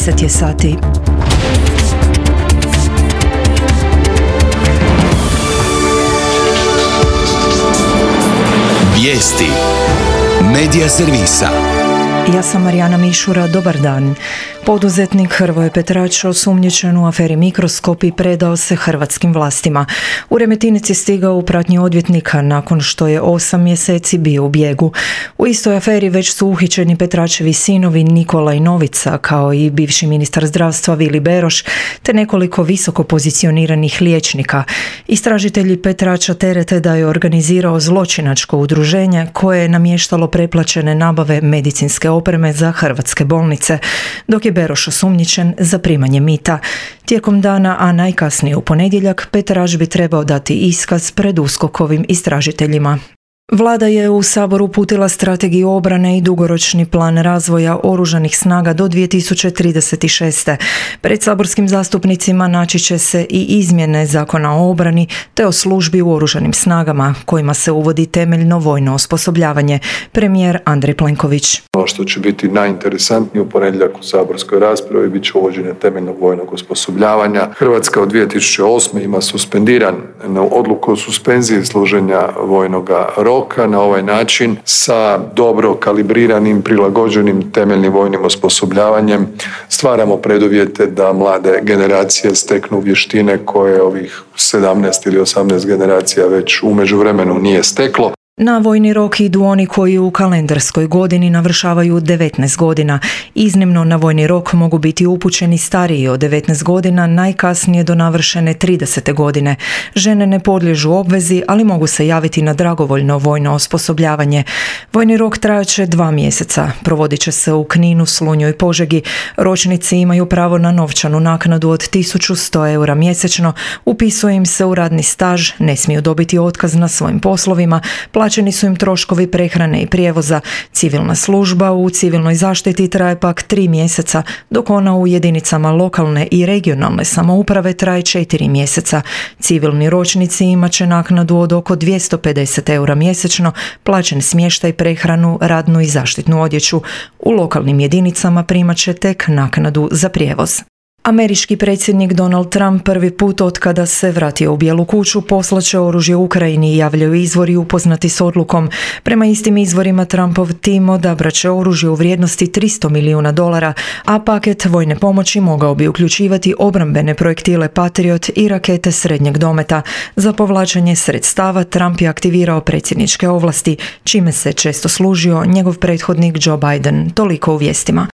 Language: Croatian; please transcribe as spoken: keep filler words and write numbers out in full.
deset je sati. Vijesti Medija servisa. Ja sam Marijana Mišura, dobar dan. Poduzetnik Hrvoje Petrač osumnjičen u aferi Mikroskop i predao se hrvatskim vlastima. U Remetinici stigao u pratnji odvjetnika nakon što je osam mjeseci bio u bijegu. U istoj aferi već su uhićeni Petračevi sinovi Nikola i Novica, kao i bivši ministar zdravstva Vili Beroš, te nekoliko visoko pozicioniranih liječnika. Istražitelji Petrača terete da je organizirao zločinačko udruženje koje je namještalo preplaćene nabave medicinske opreme za hrvatske bolnice, dok je Beroš osumnjičen za primanje mita. Tijekom dana, a najkasnije u ponedjeljak, Petrač bi trebao dati iskaz pred USKOK-ovim istražiteljima. Vlada je u Sabor uputila strategiju obrane i dugoročni plan razvoja oružanih snaga do dvije tisuće trideset šeste. Pred saborskim zastupnicima naći će se i izmjene Zakona o obrani te o službi u oružanim snagama, kojima se uvodi temeljno vojno osposobljavanje. Premijer Andrej Plenković. Ono što će biti najinteresantnije u ponedjeljak u saborskoj raspravi bit će uvođenje temeljnog vojnog osposobljavanja. Hrvatska od dvije tisuće osme ima suspendiran odluku o suspenziji služenja vojnoga roka. Na ovaj način sa dobro kalibriranim, prilagođenim temeljnim vojnim osposobljavanjem stvaramo preduvjete da mlade generacije steknu vještine koje ovih sedamnaest ili osamnaest generacija već u međuvremenu nije steklo. Na vojni rok idu oni koji u kalendarskoj godini navršavaju devetnaest godina. Iznimno na vojni rok mogu biti upućeni stariji od devetnaest godina, najkasnije do navršene tridesete godine. Žene ne podliježu obvezi, ali mogu se javiti na dragovoljno vojno osposobljavanje. Vojni rok trajaće dva mjeseca. Provodit će se u Kninu, Slunju i Požegi. Ročnici imaju pravo na novčanu naknadu od tisuću sto eura mjesečno. Upisuje im se u radni staž, ne smiju dobiti otkaz na svojim poslovima, plaćeni su im troškovi prehrane i prijevoza. Civilna služba u civilnoj zaštiti traje pak tri mjeseca, dok ona u jedinicama lokalne i regionalne samouprave traje četiri mjeseca. Civilni ročnici imat će naknadu od oko dvjesto pedeset eura mjesečno, plaćen smještaj, prehranu, radnu i zaštitnu odjeću. U lokalnim jedinicama primat će tek naknadu za prijevoz. Američki predsjednik Donald Trump prvi put otkada se vratio u Bijelu kuću poslaće oružje Ukrajini, javljaju izvori upoznati s odlukom. Prema istim izvorima Trumpov tim odabrat će oružje u vrijednosti tristo milijuna dolara, a paket vojne pomoći mogao bi uključivati obrambene projektile Patriot i rakete srednjeg dometa. Za povlačenje sredstava Trump je aktivirao predsjedničke ovlasti, čime se često služio njegov prethodnik Joe Biden. Toliko u vijestima.